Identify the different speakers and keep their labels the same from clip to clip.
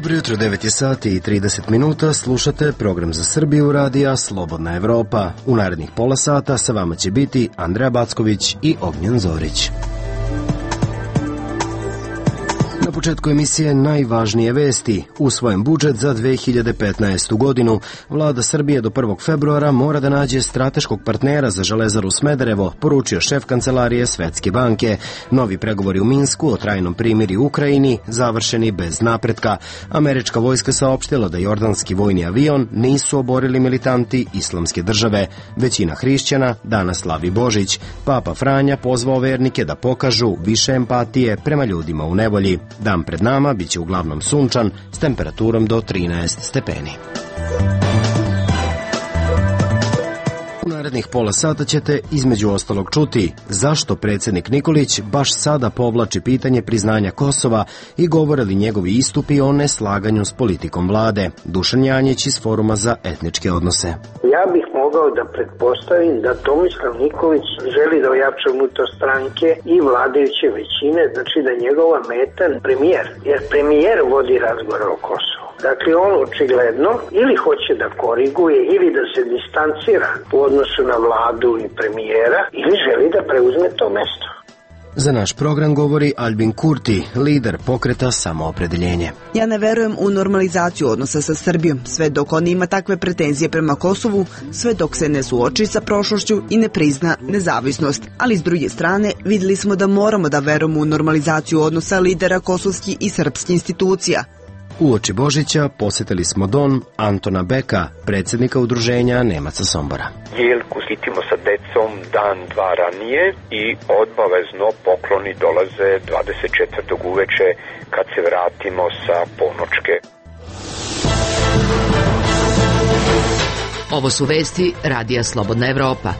Speaker 1: Dobro jutro, 9 je sati i 30 minuta, slušate program za Srbiju radija Slobodna Evropa. U narednih pola sata sa vama će biti Andreja Backović i Ognjen Zorić. Na početku emisije najvažnije vesti. Usvojen budžet za 2015. godinu. Vlada Srbije do 1. februara mora da nađe strateškog partnera za Železaru Smederevo, poručio šef kancelarije Svetske banke. Novi pregovori u Minsku o trajnom primirju u Ukrajini završeni bez napretka. Američka vojska saopštila da jordanski vojni avion nisu oborili militanti Islamske države. Većina hrišćana danas slavi Božić. Papa Franja pozvao vernike da pokažu više empatije prema ljudima u nevolji. Dan pred nama biće uglavnom sunčan s temperaturom do 13 stepeni. U narednih pola sata ćete između ostalog čuti zašto predsjednik Nikolić baš sada povlači pitanje priznanja Kosova i govore li njegovi istupi o neslaganju s politikom vlade. Dušan Janjić iz Foruma za etničke odnose.
Speaker 2: Ja bih mogao da pretpostavim da Tomislav Nikolić želi da ojača unutar stranke i vladajuće većine, znači da njegova meta premijer, jer premijer vodi razgovor o Kosovu. Dakle, on očigledno ili hoće da koriguje ili da se distancira u odnosu na vladu i premijera ili želi da preuzme to mesto.
Speaker 1: Za naš program govori Albin Kurti, lider pokreta Samoopredeljenje.
Speaker 3: Ja ne verujem u normalizaciju odnosa sa Srbijom, sve dok on ima takve pretenzije prema Kosovu, sve dok se ne suoči sa prošlošću i ne prizna nezavisnost. Ali s druge strane, vidjeli smo da moramo da verujemo u normalizaciju odnosa lidera kosovskih i srpskih institucija.
Speaker 1: Uoči Božića posjetili smo dom Antona Beka, predsjednika udruženja Nemaca Sombora.
Speaker 4: Jelku hitimo sa decom dan, dva ranije i obavezno pokloni dolaze 24. uveče kad se vratimo sa ponočke.
Speaker 5: Ovo su vesti Radija Slobodna Evropa.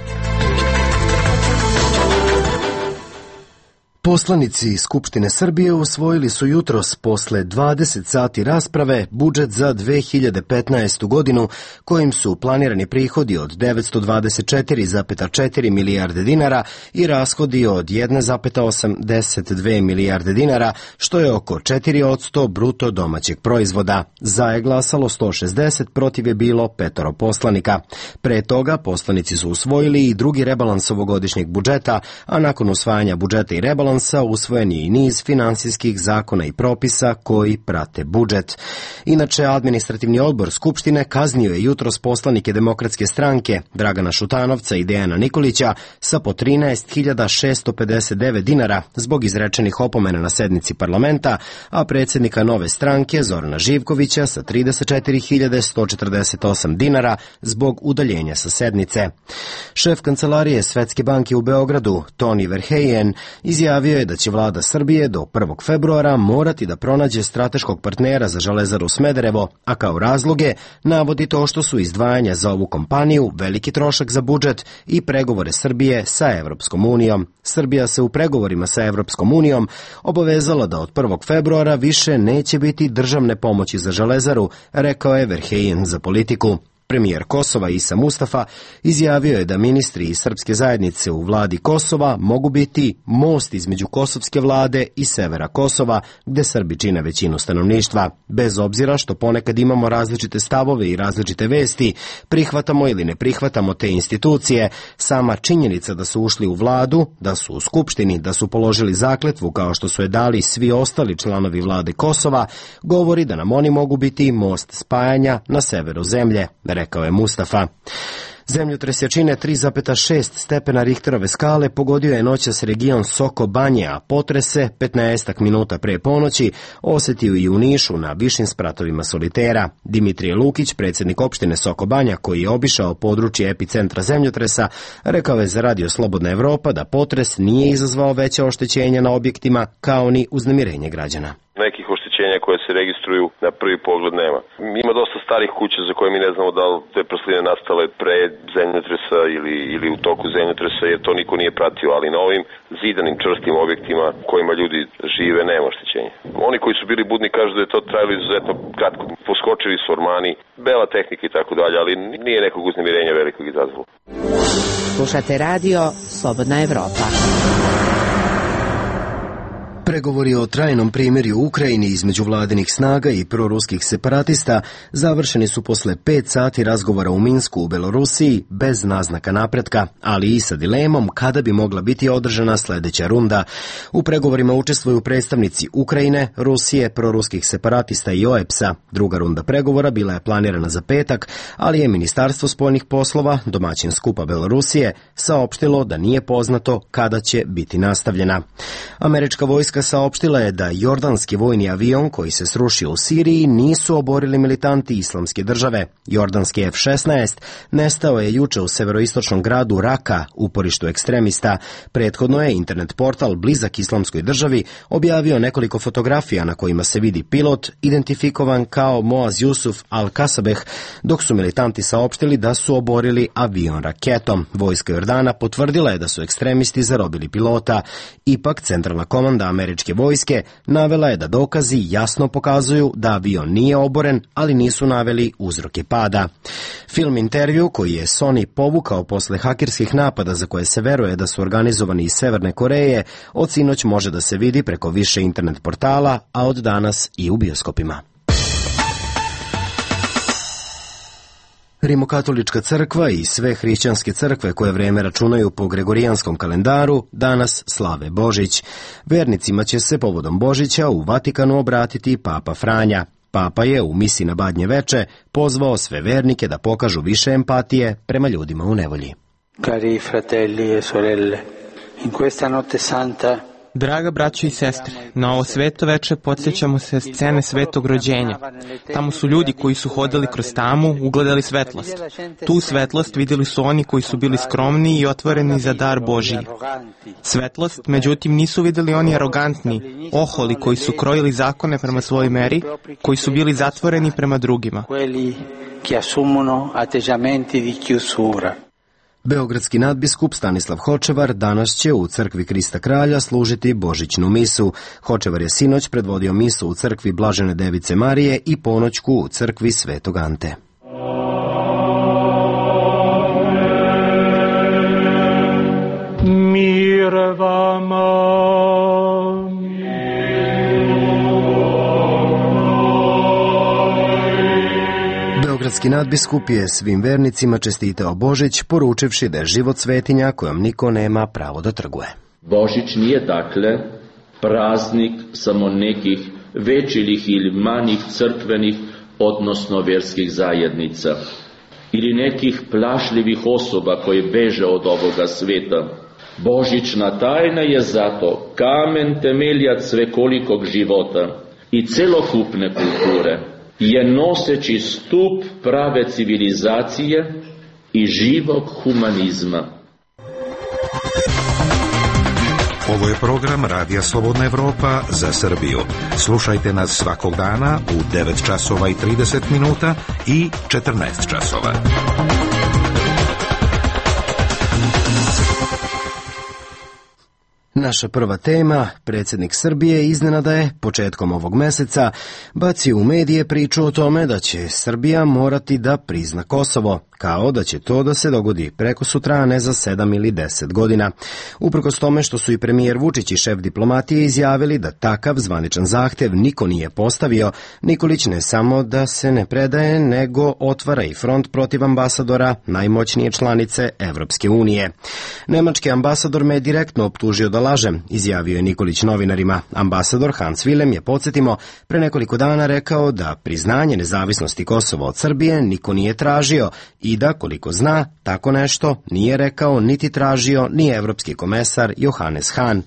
Speaker 1: Poslanici Skupštine Srbije usvojili su jutros posle 20 sati rasprave budžet za 2015. godinu kojim su planirani prihodi od 924,4 milijarde dinara i rashodi od 1,82 milijarde dinara, što je oko 4% bruto domaćeg proizvoda. Za je glasalo 160, protiv je bilo 5 poslanika. Pre toga poslanici su usvojili i drugi rebalans ovogodišnjeg budžeta, a nakon usvajanja budžeta i rebalansa usvojen je i niz finansijskih zakona i propisa koji prate budžet. Inače, administrativni odbor Skupštine kaznio je jutros poslanike Demokratske stranke Dragana Šutanovca i Dejana Nikolića sa po 13.659 dinara zbog izrečenih opomena na sednici parlamenta, a predsjednika Nove stranke Zorana Živkovića sa 34.148 dinara zbog udaljenja sa sednice. Šef kancelarije Svetske banke u Beogradu, Toni Verheyen, izjavio je da će vlada Srbije do 1. februara morati da pronađe strateškog partnera za Železaru Smederevo, a kao razloge navodi to što su izdvajanja za ovu kompaniju veliki trošak za budžet i pregovore Srbije sa Evropskom unijom. Srbija se u pregovorima sa Evropskom unijom obavezala da od 1. februara više neće biti državne pomoći za Železaru, rekao je Verheyen za Politiku. Premijer Kosova Isa Mustafa izjavio je da ministri iz srpske zajednice u vladi Kosova mogu biti most između kosovske vlade i severa Kosova, gde Srbi čine većinu stanovništva. Bez obzira što ponekad imamo različite stavove i različite vesti, prihvatamo ili ne prihvatamo te institucije, sama činjenica da su ušli u vladu, da su u Skupštini, da su položili zakletvu kao što su je dali svi ostali članovi vlade Kosova, govori da nam oni mogu biti most spajanja na severu zemlje, rekao je Mustafa. Zemljotres jačine 3,6 stepena Richterove skale pogodio je noćas region Soko Banje, a potrese 15 minuta pre ponoći osetio i u Nišu na višim spratovima solitera. Dimitrije Lukić, predsjednik opštine Soko Banja, koji je obišao područje epicentra zemljotresa, rekao je za Radio Slobodna Evropa da potres nije izazvao veća oštećenja na objektima kao ni uznemirenje građana.
Speaker 6: Nekih oštećenja koje se registruju na prvi pogled nema. Ima dosta starih kuća za koje mi ne znamo da li te prasline nastale pre zemljotresa ili u toku zemljotresa, jer to niko nije pratio, ali na ovim zidanim čvrstim objektima kojima ljudi žive nema oštećenja. Oni koji su bili budni kažu da je to trajalo izuzetno kratko. Poskočili su ormani, bela tehnika i tako dalje, ali nije nekog uznemirenja velikog izazvalo.
Speaker 5: Slušate radio Slobodna Evropa.
Speaker 1: Pregovori o trajnom primirju u Ukrajini između vladinih snaga i proruskih separatista završeni su posle 5 sati razgovora u Minsku u Belorusiji bez naznaka napretka, ali i sa dilemom kada bi mogla biti održana sledeća runda. U pregovorima učestvuju predstavnici Ukrajine, Rusije, proruskih separatista i OEPS-a. Druga runda pregovora bila je planirana za petak, ali je Ministarstvo spoljnih poslova, domaćin skupa Belorusije, saopštilo da nije poznato kada će biti nastavljena. Američka vojska saopštila je da jordanski vojni avion koji se srušio u Siriji nisu oborili militanti Islamske države. Jordanski F-16 nestao je juče u severoistočnom gradu Raka, uporištu ekstremista. Prethodno je internet portal blizak Islamskoj državi objavio nekoliko fotografija na kojima se vidi pilot identifikovan kao Moaz Jusuf Al-Kasabeh, dok su militanti saopštili da su oborili avion raketom. Vojska Jordana potvrdila je da su ekstremisti zarobili pilota. Ipak, centralna komanda američke vojske navela je da dokazi jasno pokazuju da avion nije oboren, ali nisu naveli uzroke pada. Film intervju koji je Sony povukao posle hakerskih napada za koje se veruje da su organizovani iz Severne Koreje, od sinoć može da se vidi preko više internet portala, a od danas i u bioskopima. Rimokatolička crkva i sve hrišćanske crkve koje vreme računaju po gregorijanskom kalendaru danas slave Božić. Vernicima će se povodom Božića u Vatikanu obratiti Papa Franja. Papa je u misi na Badnje veče pozvao sve vernike da pokažu više empatije prema ljudima u nevolji.
Speaker 7: Cari fratelli e sorelle, in questa notte santa
Speaker 8: Draga braćo i sestre, na ovo sveto veče podsjećamo se scene svetog rođenja. Tamo su ljudi koji su hodali kroz tamu, ugledali svetlost. Tu svetlost vidjeli su oni koji su bili skromni i otvoreni za dar Božiji. Svetlost, međutim, nisu vidjeli oni arogantni, oholi koji su krojili zakone prema svojoj meri, koji su bili zatvoreni prema drugima.
Speaker 1: Beogradski nadbiskup Stanislav Hočevar danas će u crkvi Krista Kralja služiti božićnu misu. Hočevar je sinoć predvodio misu u crkvi Blažene Device Marije i ponoćku u crkvi Svetog Ante.
Speaker 9: Mir vama.
Speaker 1: Beogradski nadbiskup je svim vernicima čestitao Božić, poručivši da je život svetinja kojom niko nema pravo da trguje.
Speaker 10: Božić nije dakle praznik samo nekih većih ili manjih crkvenih, odnosno vjerskih zajednica ili nekih plašljivih osoba koje beže od ovoga sveta. Božićna tajna je zato kamen temeljac svekolikog života i celokupne kulture. Je noseći stup prave civilizacije i živog humanizma.
Speaker 11: Ovo je program Radija Slobodna Evropa za Srbiju. Slušajte nas svakog dana u 9 časova i 30 minuta i 14 časova.
Speaker 1: Naša prva tema, predsjednik Srbije iznenada je početkom ovog meseca bacio u medije priču o tome da će Srbija morati da prizna Kosovo, kao da će to da se dogodi preko sutra, a ne za 7 ili 10 godina. Uprkos tome što su i premijer Vučić i šef diplomatije izjavili da takav zvaničan zahtev niko nije postavio, Nikolić ne samo da se ne predaje, nego otvara i front protiv ambasadora najmoćnije članice Evropske unije. Nemački ambasador me je direktno optužio da lažem, izjavio je Nikolić novinarima. Ambasador Hans Willem je, podsjetimo, pre nekoliko dana rekao da priznanje nezavisnosti Kosova od Srbije niko nije tražio i da, koliko zna, tako nešto nije rekao niti tražio ni evropski komesar Johannes Hahn.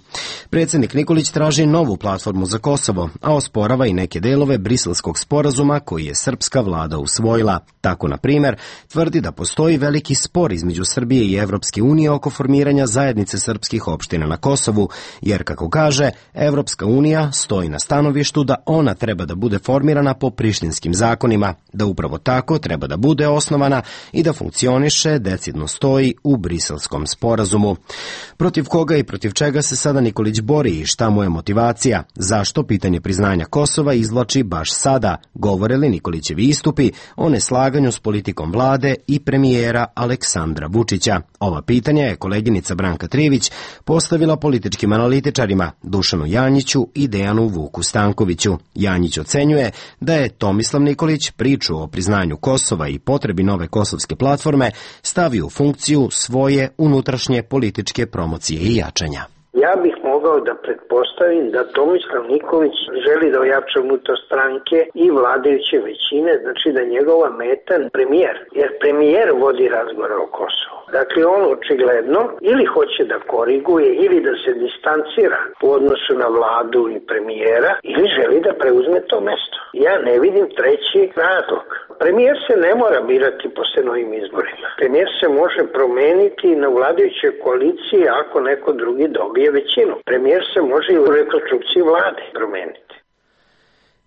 Speaker 1: Predsjednik Nikolić traži novu platformu za Kosovo, a osporava i neke delove briselskog sporazuma koji je srpska vlada usvojila. Tako, na primjer, tvrdi da postoji veliki spor između Srbije i Evropske unije oko formiranja zajednice srpskih opština na Kosovu, jer, kako kaže, Evropska unija stoji na stanovištu da ona treba da bude formirana po prištinskim zakonima, da upravo tako treba da bude osnovana i da funkcioniše, decidno stoji u briselskom sporazumu. Protiv koga i protiv čega se sada Nikolić bori i šta mu je motivacija? Zašto pitanje priznanja Kosova izvlači baš sada? Govore li Nikolićevi istupi o neslaganju s politikom vlade i premijera Aleksandra Vučića? Ova pitanja je koleginica Branka Trivić postavila političkom političkim analitičarima Dušanu Janjiću i Dejanu Vuku Stankoviću. Janjić ocenjuje da je Tomislav Nikolić priču o priznanju Kosova i potrebi nove kosovske platforme stavio u funkciju svoje unutrašnje političke promocije i jačanja.
Speaker 2: Ja bih mogao da pretpostavim da Tomislav Nikolić želi da ojača unutar stranke i vladajuće većine, znači da njegova meta premijer, jer premijer vodi razgovor o Kosovu. Dakle, on očigledno ili hoće da koriguje ili da se distancira u odnosu na vladu i premijera ili želi da preuzme to mesto. Ja ne vidim treći razlog. Premijer se ne mora birati posle novim izborima. Premijer se može promeniti na vladajućoj koaliciji ako neko drugi dobije većinu. Premijer se može i u rekonstrukciji vlade promeniti.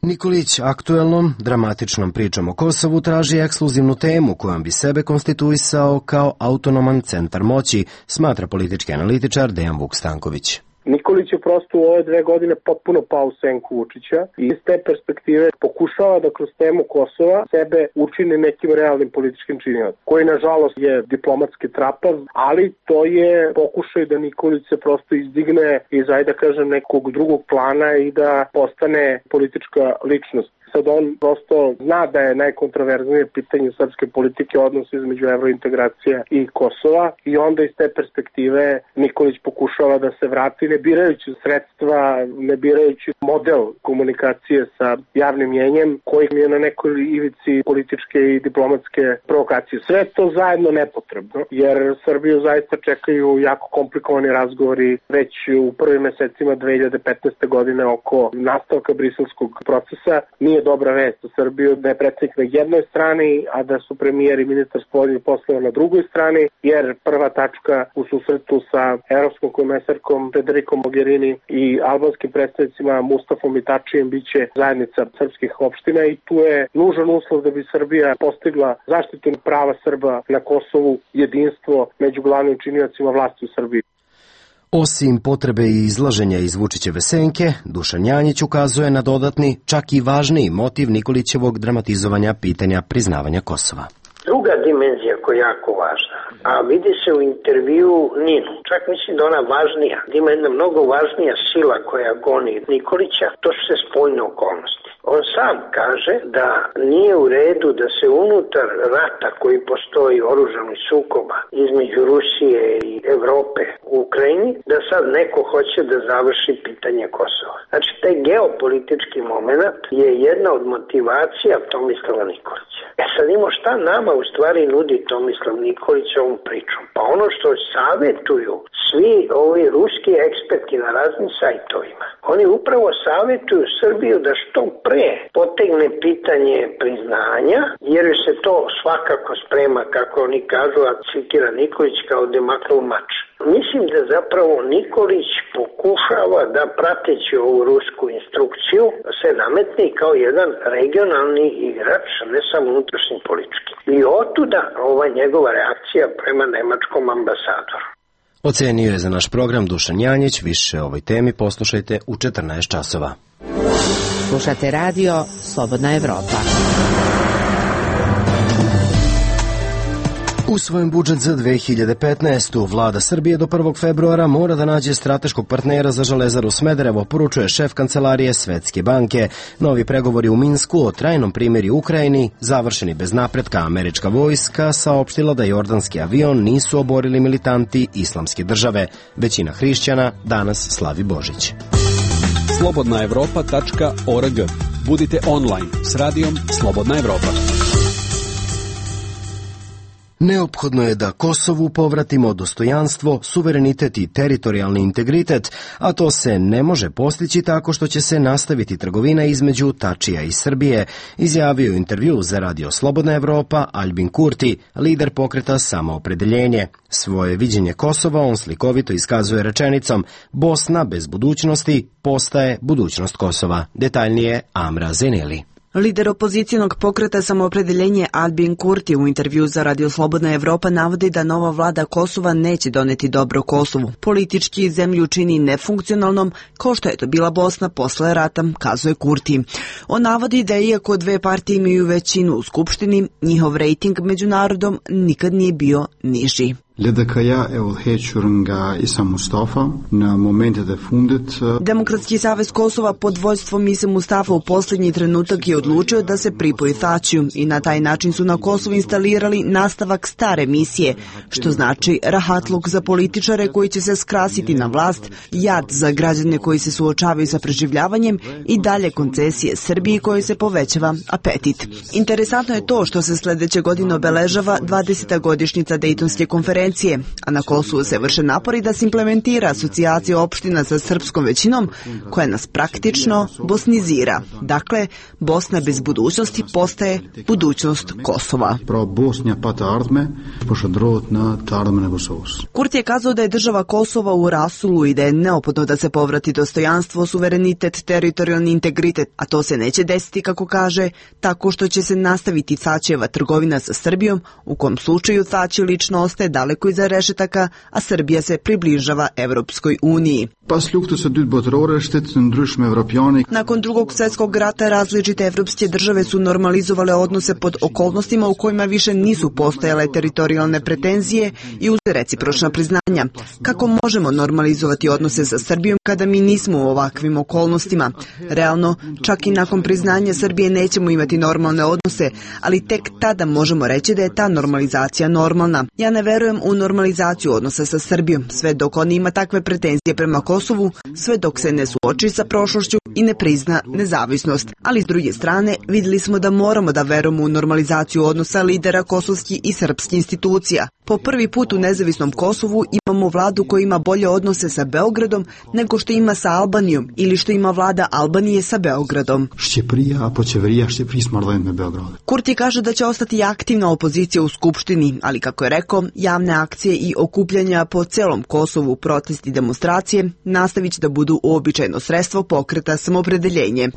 Speaker 1: Nikolić aktuelnom, dramatičnom pričom o Kosovu traži ekskluzivnu temu kojom bi sebe konstituisao kao autonoman centar moći, smatra politički analitičar Dejan Vuk Stanković.
Speaker 12: Nikolić je prosto u ove 2 godine potpuno pao u senku Vučića i iz te perspektive pokušava da kroz temu Kosova sebe učini nekim realnim političkim činiocem, koji nažalost je diplomatski trapav, ali to je pokušaj da Nikolić se prosto izdigne iz, ajde da kažem, nekog drugog plana i da postane politička ličnost. Sad on prosto zna da je najkontroverznije pitanje srpske politike odnos između evrointegracija i Kosova i onda iz te perspektive Nikolić pokušava da se vrati ne birajući sredstva, ne birajući model komunikacije sa javnim mjenjem koji je na nekoj ivici političke i diplomatske provokacije. Sve to zajedno nepotrebno, jer Srbiju zaista čekaju jako komplikovani razgovori već u prvim mesecima 2015. godine oko nastavka briselskog procesa. Nije dobra vest za Srbiju da je predsjednik na jednoj strani, a da su premijer i ministar spoljnih poslova na drugoj strani, jer prva tačka u susretu sa evropskom komesarkom Federikom Mogherini i albanskim predstavnicima Mustafom i Tačijem biće zajednica srpskih opština i tu je nužan uslov da bi Srbija postigla zaštitu prava Srba na Kosovu, jedinstvo među glavnim činiocima vlasti u Srbiji.
Speaker 1: Osim potrebe i izlaženja iz Vučićeve senke, Dušan Janjić ukazuje na dodatni, čak i važniji motiv Nikolićevog dramatizovanja pitanja priznavanja Kosova.
Speaker 2: Druga dimenzija koja je jako važna, a vidi se u intervju Ninu, čak mislim da ona važnija, da ima jedna mnogo važnija sila koja goni Nikolića, to su se spoljne okolnosti. On sam kaže da nije u redu da se unutar rata koji postoji oružanih sukoba između Rusije i Evrope u Ukrajini, da sad neko hoće da završi pitanje Kosova. Znači, taj geopolitički moment je jedna od motivacija Tomislava Nikolića. Sad imamo šta nama u stvari nudi Tomislav Nikolić ovom pričom? Pa ono što savjetuju svi ovi ruski eksperti na raznim sajtovima, oni upravo savjetuju Srbiju da što pre potegne pitanje priznanja, jer se to svakako sprema, kako oni kažu, a citira Nikolić, kao demaknul mač. Mislim da zapravo Nikolić pokušava da, prateći ovu rusku instrukciju, se nametne kao jedan regionalni igrač, ne samo unutrašnji politički. I otuda ova njegova reakcija prema nemačkom ambasadoru.
Speaker 1: Ocenio je za naš program Dušan Janjić. Više o ovoj temi poslušajte u 14 časova.
Speaker 5: Slušate radio Slobodna Evropa.
Speaker 1: Usvojen budžet za 2015. Vlada Srbije do 1. februara mora da nađe strateškog partnera za Železaru Smederevo, poručuje šef kancelarije Svetske banke. Novi pregovori u Minsku o trajnom primirju u Ukrajini završeni bez napretka. Američka vojska saopštila da jordanski avion nisu oborili militanti Islamske države. Većina hrišćana danas slavi Božić.
Speaker 13: slobodnaevropa.org. Budite online s radijom Slobodna Evropa.
Speaker 1: Neophodno je da Kosovu povratimo dostojanstvo, suverenitet i teritorijalni integritet, a to se ne može postići tako što će se nastaviti trgovina između Tačija i Srbije, izjavio intervju za radio Slobodna Evropa Albin Kurti, lider pokreta Samoopredeljenje. Svoje viđenje Kosova on slikovito iskazuje rečenicom: Bosna bez budućnosti postaje budućnost Kosova. Detaljnije Amra Zeneli.
Speaker 3: Lider opozicijonog pokreta Samoopredeljenje Albin Kurti u intervju za radio Slobodna Evropa navodi da nova vlada Kosova neće doneti dobro Kosovu. Politički zemlju čini nefunkcionalnom, kao što je to bila Bosna posle rata, kazuje Kurti. On navodi da iako dve partije imaju većinu u Skupštini, njihov rejting među narodom nikad nije bio niži. Demokratski savez Kosova pod vođstvom Ise Mustafa u posljednji trenutak je odlučio da se pripoji Thaçiju i na taj način su na Kosovu instalirali nastavak stare misije, što znači rahatluk za političare koji će se skrasiti na vlast, jad za građane koji se suočavaju sa preživljavanjem i dalje koncesije Srbiji koji se povećava apetit. Interesantno je to što se sljedeće godine obeležava 20. godišnjica Dejtonske konferencije, a na Kosovu se vrše napori da se implementira asocijacija opština sa srpskom većinom koja nas praktično bosnizira. Dakle, Bosna bez budućnosti postaje budućnost Kosova. Kurti je kazao da je država Kosova u rasulu i da je neophodno da se povrati dostojanstvo, suverenitet, teritorijalni integritet, a to se neće desiti, kako kaže, tako što će se nastaviti Thaçijeva trgovina sa Srbijom, u kom slučaju Thaçi lično ostaje daleko iza rešetaka, a Srbija se približava Evropskoj uniji. Nakon Drugog svjetskog rata različite evropske države su normalizovale odnose pod okolnostima u kojima više nisu postojale teritorijalne pretenzije i uz recipročna priznanja. Kako možemo normalizovati odnose sa Srbijom kada mi nismo u ovakvim okolnostima? Realno, čak i nakon priznanja Srbije nećemo imati normalne odnose, ali tek tada možemo reći da je ta normalizacija normalna. Ja ne verujem u normalizaciju odnosa sa Srbijom, sve dok on ima takve pretenzije prema Kosovu, sve dok se ne suoči sa prošlošću i ne prizna nezavisnost. Ali s druge strane, vidjeli smo da moramo da verujemo u normalizaciju odnosa lidera kosovskih i srpskih institucija. Po prvi put u nezavisnom Kosovu imamo vladu koja ima bolje odnose sa Beogradom nego što ima sa Albanijom ili što ima vlada Albanije sa Beogradom. Kurti kaže da će ostati aktivna opozicija u Skupštini, ali kako je rekao, javne akcije i okupljanja po celom Kosovu, protesti i demonstracije nastavit će da budu uobičajeno sredstvo pokreta samopredeljenje.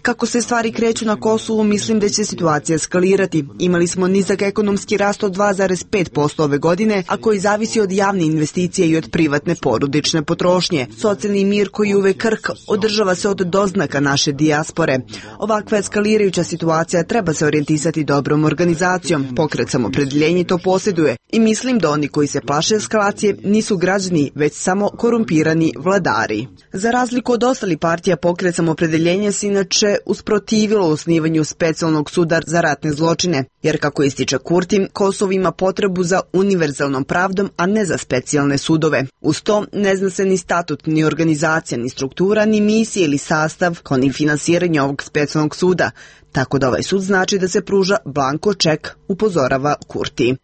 Speaker 3: Kako se stvari kreću na Kosovu, mislim da će situacija eskalirati. Imali smo nizak ekonomski rast od 2,5% ove godine, a koji zavisi od javne investicije i od privatne porodične potrošnje. Socijalni mir koji je uvek krhk održava se od doznaka naše dijaspore. Ovakva eskalirajuća situacija treba se orijentisati dobrom organizacijom. Pokret samopredeljenje to posjeduje i mislim da oni koji se plaše eskalacije nisu građani, već samo korumpirani vladari. Za razliku od ostalih partija, pokret samopredeljenja se inače usprotivilo osnivanju specijalnog suda za ratne zločine, jer kako ističe Kurti, Kosovo ima potrebu za univerzalnom pravdom, a ne za specijalne sudove. Uz to ne zna se ni statut, ni organizacija, ni struktura, ni misija ili sastav, kao ni finansiranje ovog specijalnog suda. Tako da ovaj sud znači da se pruža blanko ček, upozorava Kurti.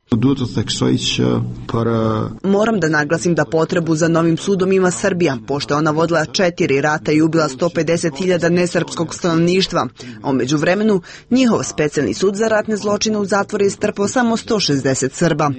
Speaker 3: Moram da naglasim da potrebu za novim sudom ima Srbija, pošto ona vodila 4 rata i ubila 150.000 nesrpskog stanovništva, a u međuvremenu njihov specijalni sud za ratne zločine u zatvor je strpao samo 160 Srba.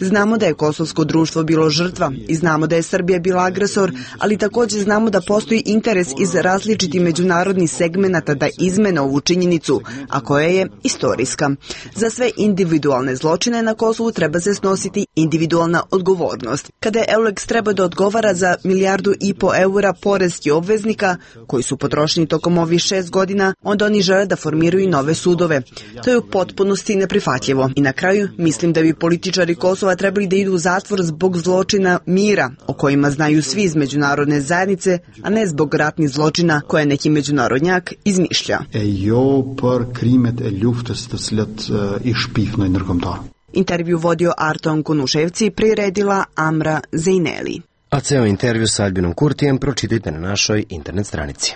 Speaker 3: Znamo da je kosovsko društvo bilo žrtva i znamo da je Srbija bila agresor, ali također znamo da postoji interes iz različitih međunarodnih segmenata da izmene ovu činjenicu, a koja je istorijska. Za sve individualne zločine na Kosovu treba se snositi individualna odgovornost. Kada je EULEX treba da odgovara za 1,5 milijardu eura poreskih obveznika koji su potrošeni tokom ovih 6 godina, onda oni žele da formiraju nove sudove. To je u potpunosti neprihvatljivo. I na kraju, mislim da bi političari Kosova trebali da idu u zatvor zbog zločina mira, o kojima znaju svi iz međunarodne zajednice, a ne zbog ratnih zločina koje neki međunarodnjak izmišlja. Intervju vodio Arton Kunuševci, priredila Amra Zejneli.
Speaker 1: A ceo intervju sa Albinom Kurtijem pročitajte na našoj internet stranici.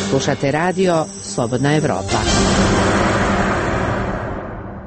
Speaker 5: Slušate radio Slobodna Evropa.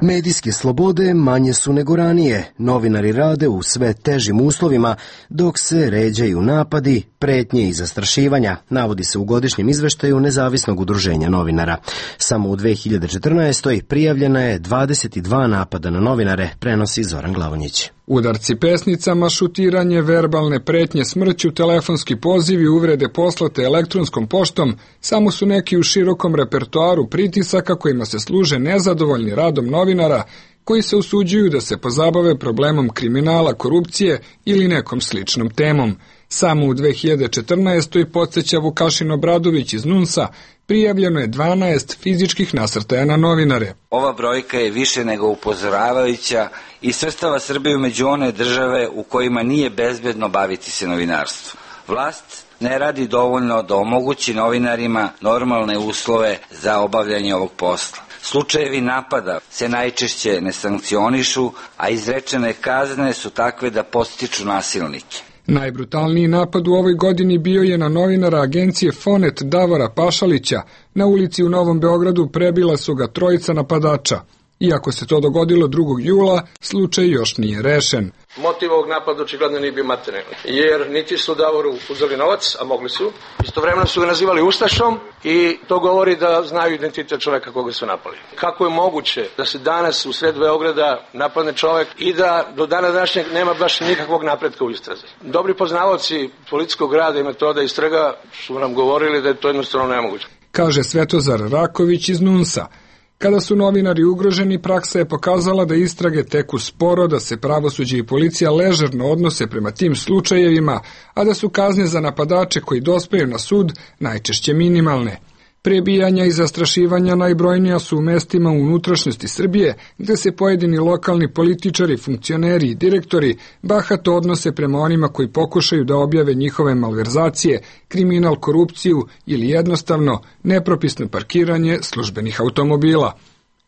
Speaker 1: Medijske slobode manje su nego ranije. Novinari rade u sve težim uslovima, dok se ređaju napadi, pretnje i zastrašivanja, navodi se u godišnjem izveštaju Nezavisnog udruženja novinara. Samo u 2014. prijavljena je 22 napada na novinare, prenosi Zoran Glavonjić.
Speaker 14: Udarci pesnicama, šutiranje, verbalne pretnje smrću, telefonski pozivi, uvrede poslate elektronskom poštom samo su neki u širokom repertoaru pritisaka kojima se služe nezadovoljni radom novinara koji se usuđuju da se pozabave problemom kriminala, korupcije ili nekom sličnom temom. Samo u 2014. podsjeća Vukašin Obradović iz NUNS-a, prijavljeno je 12 fizičkih nasrtaja na novinare.
Speaker 15: Ova brojka je više nego upozoravajuća i svrstava Srbiju među one države u kojima nije bezbedno baviti se novinarstvom. Vlast ne radi dovoljno da omogući novinarima normalne uslove za obavljanje ovog posla. Slučajevi napada se najčešće ne sankcionišu, a izrečene kazne su takve da podstiču nasilnike.
Speaker 14: Najbrutalniji napad u ovoj godini bio je na novinara agencije Fonet Davora Pašalića. Na ulici u Novom Beogradu prebila su ga trojica napadača. Iako se to dogodilo 2. jula, slučaj još nije rešen.
Speaker 16: Motiv ovog napada očigledno nije bio materijalni, jer niti su Davoru uzeli novac, a mogli su. Istovremeno su ga nazivali ustašom i to govori da znaju identitet čoveka koga su napali. Kako je moguće da se danas u sred Beograda napadne čovek i da do dana današnjeg nema baš nikakvog napretka u istrazi? Dobri poznavaoci policijskog rada i metoda istraga su nam govorili da je to jednostavno nemoguće.
Speaker 14: Kaže Svetozar Raković iz NUNS-a. Kada su novinari ugroženi, praksa je pokazala da istrage teku sporo, da se pravosuđe i policija ležerno odnose prema tim slučajevima, a da su kazne za napadače koji dospeju na sud najčešće minimalne. Prebijanja i zastrašivanja najbrojnija su u mestima u unutrašnjosti Srbije, gde se pojedini lokalni političari, funkcioneri i direktori bahato odnose prema onima koji pokušaju da objave njihove malverzacije, kriminal, korupciju ili jednostavno nepropisno parkiranje službenih automobila.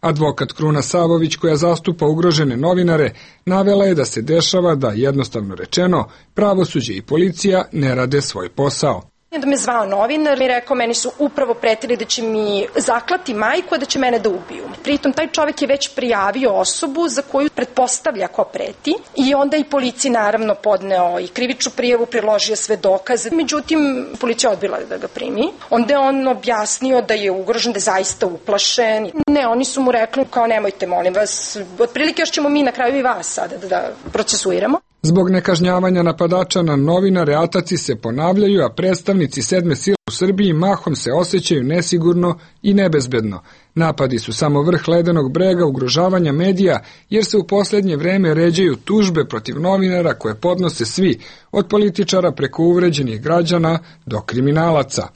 Speaker 14: Advokat Kruna Savović, koja zastupa ugrožene novinare, navela je da se dešava da, jednostavno rečeno, pravosuđe i policija ne rade svoj posao.
Speaker 17: Da me zvao novinar i rekao, meni su upravo pretili da će mi zaklati majku, a da će mene da ubiju. Pritom taj čovjek je već prijavio osobu za koju pretpostavlja ko preti i onda i policiji naravno podneo i krivičnu prijavu, priložio sve dokaze. Međutim, policija odbila da ga primi. Onda je on objasnio da je ugrožen, da je zaista uplašen. Ne, oni su mu rekli kao nemojte, molim vas, otprilike još ćemo mi na kraju i vas sada da procesuiramo.
Speaker 14: Zbog nekažnjavanja napadača na novinare ataci se ponavljaju, a predstavnici sedme sile u Srbiji mahom se osjećaju nesigurno i nebezbedno. Napadi su samo vrh ledenog brega ugrožavanja medija, jer se u poslednje vreme ređaju tužbe protiv novinara koje podnose svi, od političara preko uvređenih građana do kriminalaca.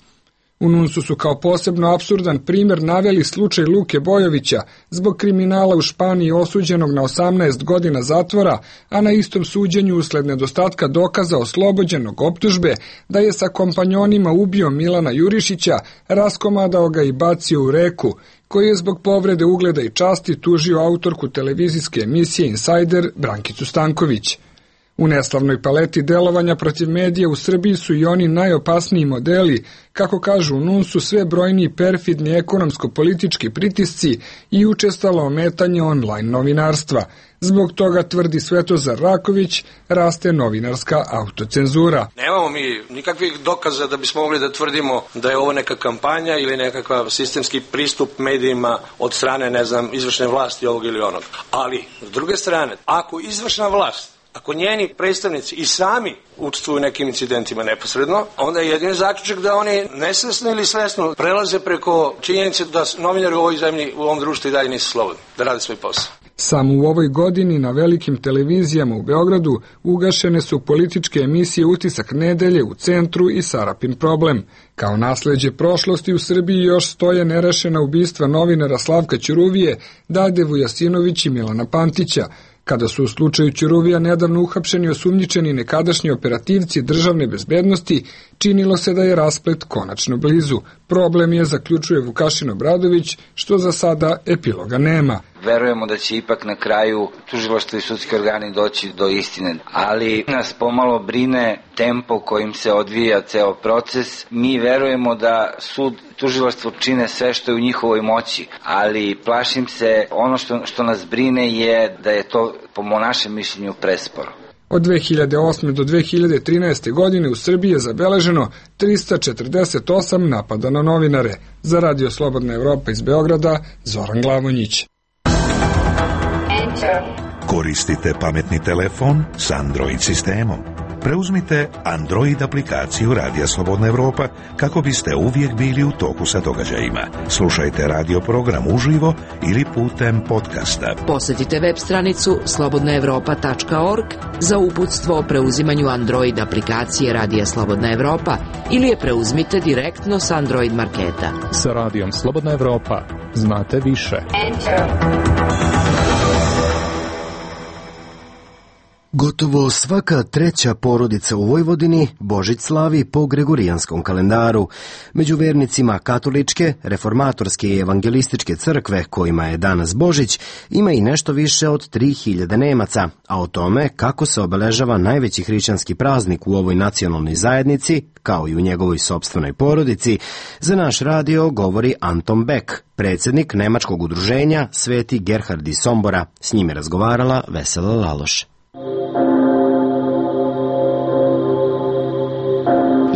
Speaker 14: U NUNS-u su kao posebno apsurdan primer naveli slučaj Luke Bojovića, zbog kriminala u Španiji osuđenog na 18 godina zatvora, a na istom suđenju usled nedostatka dokaza oslobođenog optužbe da je sa kompanjonima ubio Milana Jurišića, raskomadao ga i bacio u reku, koji je zbog povrede ugleda i časti tužio autorku televizijske emisije Insider Brankicu Stanković. U neslavnoj paleti delovanja protiv medija u Srbiji su i oni najopasniji modeli, kako kažu u NUNS-u, sve brojniji perfidni ekonomsko-politički pritisci i učestalo ometanje online novinarstva. Zbog toga, tvrdi Svetozar Raković, raste novinarska autocenzura.
Speaker 16: Nemamo mi nikakvih dokaza da bismo mogli da tvrdimo da je ovo neka kampanja ili nekakav sistemski pristup medijima od strane, izvršne vlasti ovog ili onog. Ali, s druge strane, ako izvršna vlast, ako njeni predstavnici i sami učestvuju u nekim incidentima neposredno, onda je jedini zaključak da oni nesvesno ili svesno prelaze preko činjenice da novinari u ovoj zemlji, u ovom društvu i dalje nisu slobodni da rade svoj posao.
Speaker 14: Samo u ovoj godini na velikim televizijama u Beogradu ugašene su političke emisije Utisak nedelje, U centru i Sarapin problem. Kao nasleđe prošlosti u Srbiji još stoje nerešena ubistva novinara Slavka Ćuruvije, Dade Vujasinović i Milana Pantića. Kada su u slučaju Ćuruvija nedavno uhapšeni osumnjičeni nekadašnji operativci državne bezbednosti, činilo se da je rasplet konačno blizu. Problem je, zaključuje Vukašin Obradović, što za sada epiloga nema.
Speaker 15: Verujemo da će ipak na kraju tužilaštvo i sudski organi doći do istine, ali nas pomalo brine tempo kojim se odvija ceo proces. Mi verujemo da sud tužilaštvo čine sve što je u njihovoj moći, ali plašim se, ono što nas brine je da je to, po našem mišljenju, presporo.
Speaker 14: Od 2008. do 2013. godine u Srbiji je zabeleženo 348 napada na novinare. Za Radio Slobodna Evropa iz Beograda, Zoran Glavonjić.
Speaker 11: Koristite pametni telefon s Android sistemom. preuzmite Android aplikaciju Radija Slobodna Evropa kako biste uvijek bili u toku sa događajima. Slušajte radio program uživo ili putem podcasta.
Speaker 5: Posjetite web stranicu slobodnaevropa.org za uputstvo o preuzimanju Android aplikacije Radija Slobodna Evropa ili je preuzmite direktno s Android marketa.
Speaker 13: Sa Radijom Slobodna Evropa znate više.
Speaker 1: Gotovo svaka treća porodica u Vojvodini Božić slavi po gregorijanskom kalendaru. Među vernicima katoličke, reformatorske i evangelističke crkve, kojima je danas Božić, ima i nešto više od 3000 Nemaca, a o tome kako se obeležava najveći hrišćanski praznik u ovoj nacionalnoj zajednici, kao i u njegovoj sopstvenoj porodici, za naš radio govori Anton Beck, predsjednik nemačkog udruženja Sveti Gerhard iz Sombora. S njime razgovarala Vesela Laloš.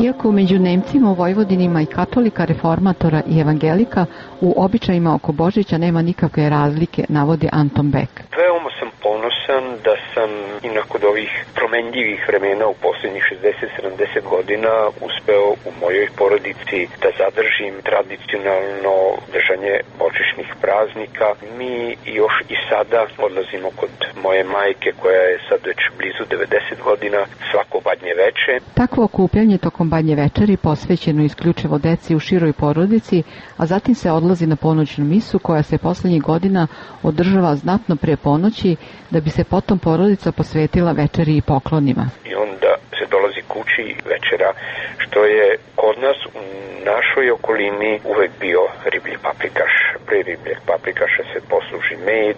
Speaker 18: Iako među Nemcima u Vojvodini ima i katolika, reformatora i evangelika, u običajima oko Božića nema nikakve razlike, navodi Anton Beck.
Speaker 4: Veoma sam ponosan da sam i nakon ovih promenljivih vremena u posljednjih 60-70 godina uspeo u mojoj porodici da zadržim tradicionalno držanje božićnih praznika. Mi još i sada odlazimo kod moje majke koja je sad već blizu 90 godina svako badnje veče.
Speaker 18: Takvo okupljanje tokom badnje večeri posvećeno isključivo deci u široj porodici, a zatim se odlazi na ponoćnu misu koja se poslednjih godina održava znatno prije ponoći, da bi se potom porodica posvetila večeri i poklonima.
Speaker 4: I onda se dolazi kući večera, što je kod nas u našoj okolini uvek bio riblji paprikaš. Pre ribljeg paprikaša se posluži med,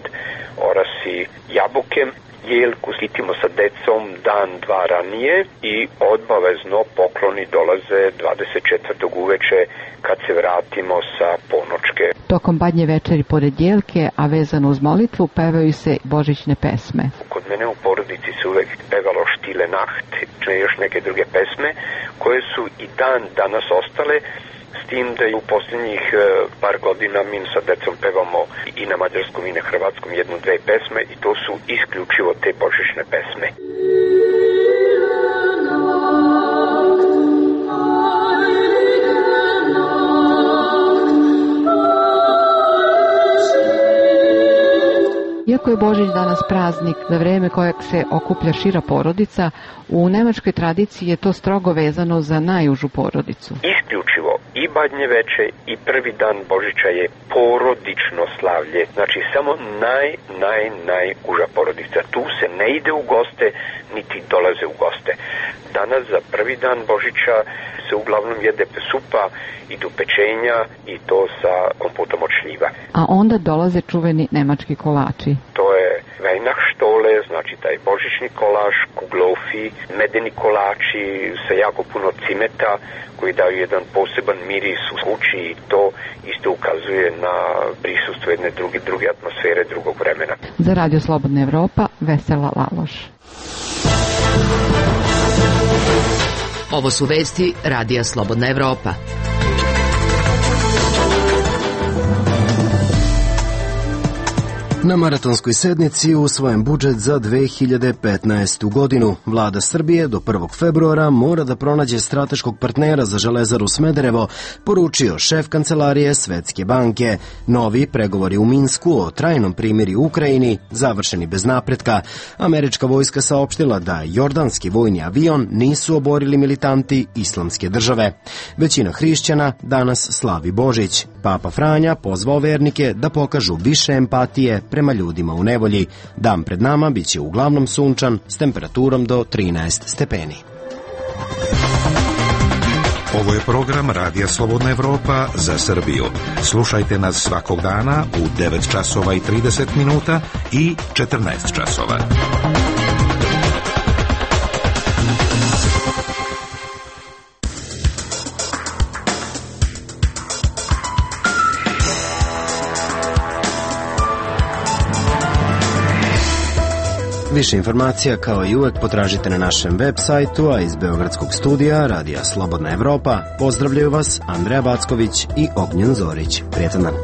Speaker 4: orasi, jabuke. Jelku skitimo sa decom dan, dva ranije i obavezno pokloni dolaze 24. uveče kad se vratimo sa ponočke.
Speaker 18: Tokom badnje večeri pored jelke, a vezano uz molitvu, pevaju se božićne pesme.
Speaker 4: Kod mene u porodici se uvek pevalo Stille Nacht, još neke druge pesme koje su i dan danas ostale, s tim da je u posljednjih par godina mi sa decom pevamo i na mađarskom i na hrvatskom jednu-dve pesme i to su isključivo te božićne pesme.
Speaker 18: Iako je Božić danas praznik za vreme kojeg se okuplja šira porodica, u nemačkoj tradiciji je to strogo vezano za najužu porodicu.
Speaker 4: Isključivo i badnje veče i prvi dan Božića je porodično slavlje. Znači samo najuža porodica. Tu se ne ide u goste, niti dolaze u goste. Danas za prvi dan Božića se uglavnom jede supa, idu pečenja i to sa kompotom od šljiva.
Speaker 18: A onda dolaze čuveni nemački kolači.
Speaker 4: To je Weihnachtsstole, znači taj božićni kolač, kuglofi, medeni kolači sa jako puno cimeta koji daju jedan poseban miris u kući i to isto ukazuje na prisustvo jedne druge atmosfere, drugog vremena.
Speaker 18: Za Radio Slobodna Evropa, Vesela Laloš.
Speaker 5: Ovo su vesti Radija Slobodna Evropa.
Speaker 1: Na maratonskoj sednici usvojen budžet za 2015. godinu. Vlada Srbije do 1. februara mora da pronađe strateškog partnera za Železaru Smederevo, poručio šef kancelarije Svetske banke. Novi pregovori u Minsku o trajnom primirju u Ukrajini završeni bez napretka. Američka vojska saopštila da jordanski vojni avion nisu oborili militanti Islamske države. Većina hrišćana danas slavi Božić. Papa Franja pozvao vernike da pokažu više empatije prema ljudima u nevolji. Dan pred nama biće uglavnom sunčan s temperaturom do 13 stepeni.
Speaker 11: Ovo je program Radija Slobodna Evropa za Srbiju. Slušajte nas svakog dana u 9 časova i 30 minuta i 14 časova.
Speaker 1: Više informacija kao i uvek potražite na našem web sajtu, a iz Beogradskog studija Radija Slobodna Evropa pozdravljaju vas Andreja Backović i Ognjen Zorić. Prijetan dan.